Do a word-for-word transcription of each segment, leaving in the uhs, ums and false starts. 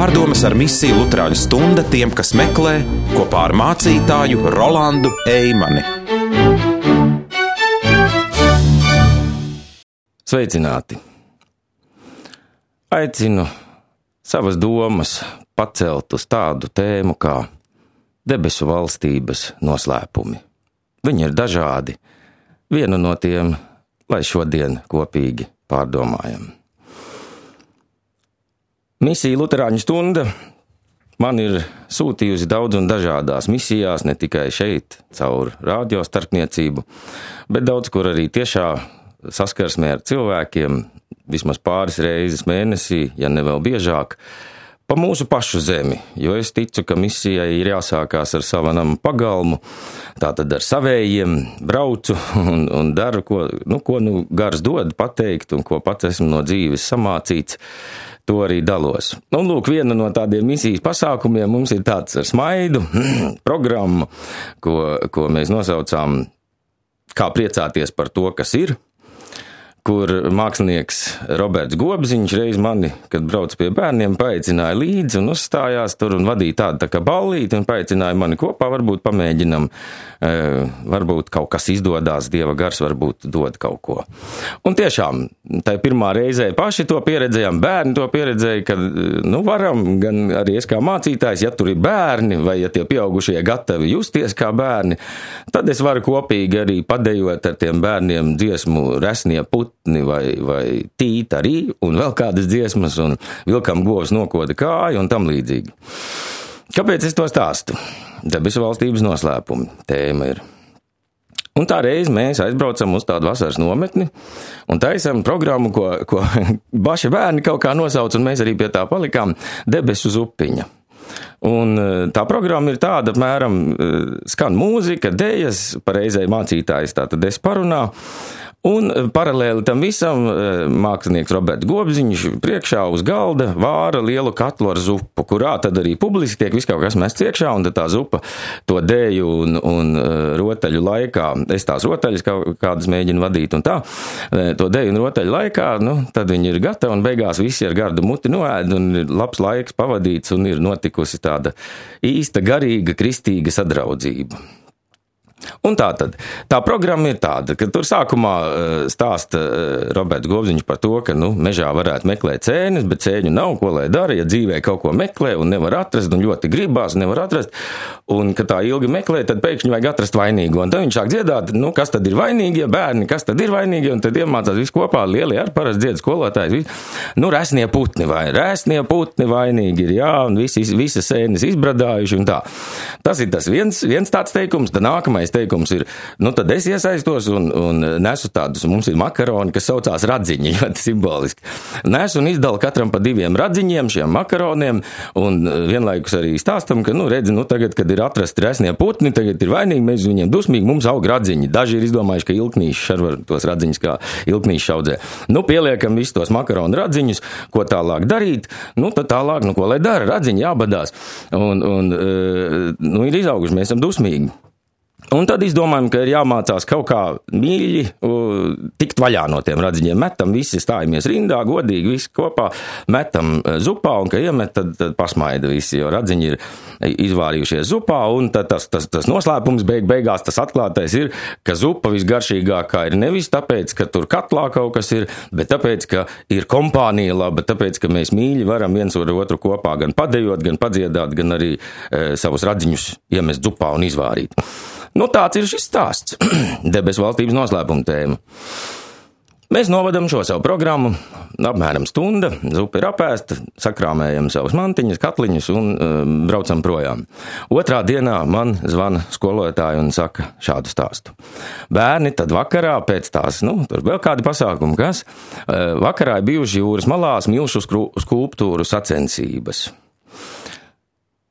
Pārdomas ar misiju Luterāņu stunda tiem, kas meklē, kopā ar mācītāju Rolandu Eimani. Sveicināti! Aicinu savas domas pacelt uz tādu tēmu kā debesu valstības noslēpumi. Viņi ir dažādi. Vienu no tiem, lai šodien kopīgi pārdomājam. Misija Luterāņu stunda man ir sūtījusi daudz un dažādās misijās, ne tikai šeit, caur radio starpniecību, bet daudz kur arī tiešā saskarsmē ar cilvēkiem, vismaz pāris reizes mēnesī, ja ne vēl biežāk, pa mūsu pašu zemi, jo es ticu, ka misijai ir jāsākās ar savu namu pagalmu, tātad ar savējiem braucu un, un daru, ko, nu, ko nu gars dod pateikt un ko pats esmu no dzīves samācīts, to arī dalos. Un lūk, viena no tādiem misijas pasākumiem mums ir tāds ar smaidu programmu, ko, ko mēs nosaucām kā priecāties par to, kas ir, kur mākslinieks Roberts Gobziņš reiz mani, kad brauc pie bērniem, paaicināja līdzi un uzstājās tur un vadīja tādu tā kā ballīti un paaicināja mani kopā, varbūt pamēģinam, e, varbūt kaut kas izdodās, Dieva gars varbūt dod kaut ko. Un tiešām, tai pirmā reizē paši to pieredzējām, bērni to pieredzēja, ka, nu, varam, gan arī es kā mācītājs, ja tur ir bērni vai ja tie pieaugušie gatavi justies kā bērni, tad es varu kopīgi arī padejot ar tiem bērniem dziesmu Resnie puti, vai, vai tīt arī, un vēl kādas dziesmas, un vilkam govs nokoda kāju, un tam līdzīgi. Kāpēc es to stāstu? Debesu valstības noslēpumi tēma ir. Un tā reiz mēs aizbraucam uz tādu vasaras nometni, un taisam programmu, ko, ko baši bērni kaut kā nosauc, un mēs arī pie tā palikām, Debesu zupiņa. Un tā programma ir tāda, apmēram, skan mūzika, dejas, pareizai mācītājs tātad es parunā, un paralēli tam visam mākslinieks Roberts Gobziņš priekšā uz galda vāra lielu katlu ar zupu, kurā tad arī publiski tiek viss kaut kas mests iekšā, un tad tā zupa to dēju un, un rotaļu laikā, es tās rotaļas kādas mēģinu vadīt un tā, to dēju un rotaļu laikā, nu, tad viņi ir gatavi un beigās visi ar gardu muti noēd un ir labs laiks pavadīts un ir notikusi tāda īsta garīga kristīga sadraudzība. Un tā tad, tā programma ir tāda, ka tur sākumā stāsta Roberts Gobziņš par to, ka, nu, mežā varētu meklēt cēnes, bet cēņu nav, ko lai dara, ja dzīvē kaut ko meklē un nevar atrast, un ļoti gribās, nevar atrast, un, ka tā ilgi meklē, tad pēkšņi vajag atrast vainīgo, un tad viņš sāk dziedāt, nu, kas tad ir vainīgie bērni, kas tad ir vainīgie, un tad iemācās visu kopā, lielie ar parasti dzied skolotājs, nu, resnie putni vai, resnie putni vainīgi ir, jā, un visi, visas sēnes izbradājuši, un tā. Tas ir tas viens, viens tāds teikums, tad nākamais teikums ir, nu tad es iesaistos un, un nesu tādus, mums ir makaroni, kas saucās radziņi, ļoti simboliski. Nesu un izdalu katram pa diviem radziņiem, šiem makaroniem, un vienlaikus arī stāstam, ka, nu, redzi, nu, tagad, kad ir atrasti resnie putni, tagad ir vainīgi, mēs viņiem dusmīgi, mums aug radziņi. Daži ir izdomājuši, ka ilknīši šarvar tos radziņus, kā ilknīši šaudzē. Nu, pieliekam visus tos makaronu radziņus, ko tālāk darīt, nu, tad tālāk, nu, ko lai dara, radziņi jābadās. Un, un, nu, ir izauguši, mēs esam dusmīgi. Un tad izdomājam, ka ir jāmācās kaut kā mīļi tikt vaļā no tiem radziņiem. Metam visi, stājamies rindā, godīgi visi kopā, metam zupā, un, ka iemet, tad, tad pasmaida visi, jo radziņi ir izvārījušies zupā, un tad tas, tas, tas noslēpums beig, beigās, tas atklātais ir, ka zupa visgaršīgākā ir nevis tāpēc, ka tur katlā kaut kas ir, bet tāpēc, ka ir kompānija laba, tāpēc, ka mēs mīļi varam viens ar otru kopā gan padejot, gan padziedāt, gan arī e, savus radziņus iemest zupā un izvārīt. Nu, tāds ir šis stāsts. Debesu valstības noslēpuma tēma. Mēs novadam šo savu programmu, apmēram stunda, zupa ir apēsta, sakrāmējam savus mantiņas, katliņus un um, braucam projām. Otrā dienā man zvana skolotāji un saka šādu stāstu. Bērni tad vakarā pēc tās, nu, tur vēl kādi pasākumi, kas, uh, vakarā ir bijuši jūras malās milšu skulptūru sacensības.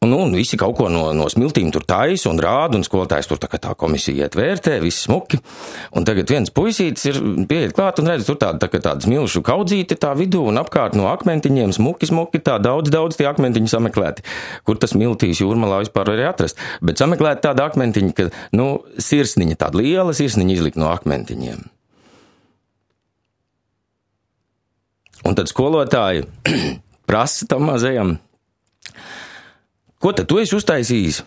Un, un visi kaut ko no, no smiltīm tur taisa un rāda, un skolotājs tur tā kā tā komisija iet vērtē, viss smuki. Un tagad viens puisītis ir pieiet klāt un redz, tur tāda, tā kā tāda smilšu kaudzīte tā vidū un apkārt no akmentiņiem smuki, smuki, tā daudz, daudz tie akmentiņi sameklēti. Kur tas smiltīs jūrmalā vispār var atrast? Bet sameklēti tāda akmentiņa, ka, nu, sirsniņa, tāda liela sirsniņa izlikt no akmentiņiem. Un tad skolotāji prasa tam mazajam Ko tad tu esi uztaisījis?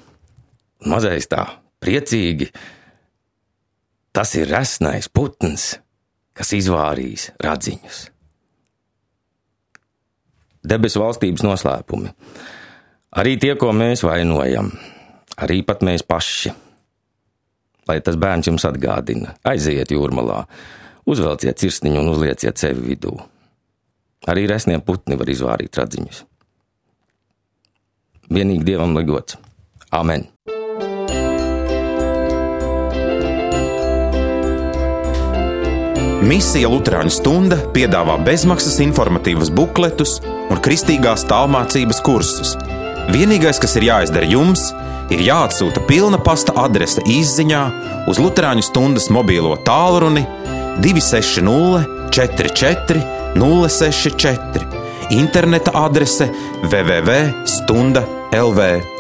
Mazais tā, priecīgi. Tas ir resnais putns, kas izvārīs radziņus. Debesu valstības noslēpumi. Arī tie, ko mēs vainojam, arī pat mēs paši. Lai tas bērns jums atgādina, aiziet jūrmalā, uzvelciet cirstiņu un uzlieciet sevi vidū. Arī resnie putni var izvārīt radziņus. Vienīgi Dievam lai gods. Amen. Misija Luterāņu stunda piedāvā bezmaksas informatīvus bukletus un kristīgās tālmācības kursus. Vienīgais, kas ir jāizdara jums, ir jāatsūta pilna pasta adrese izziņā uz Luterāņu stundas mobīlo tālruni divi seši nulle četri četri nulle seši četri, interneta adrese w w w punkt stunda punkt l v.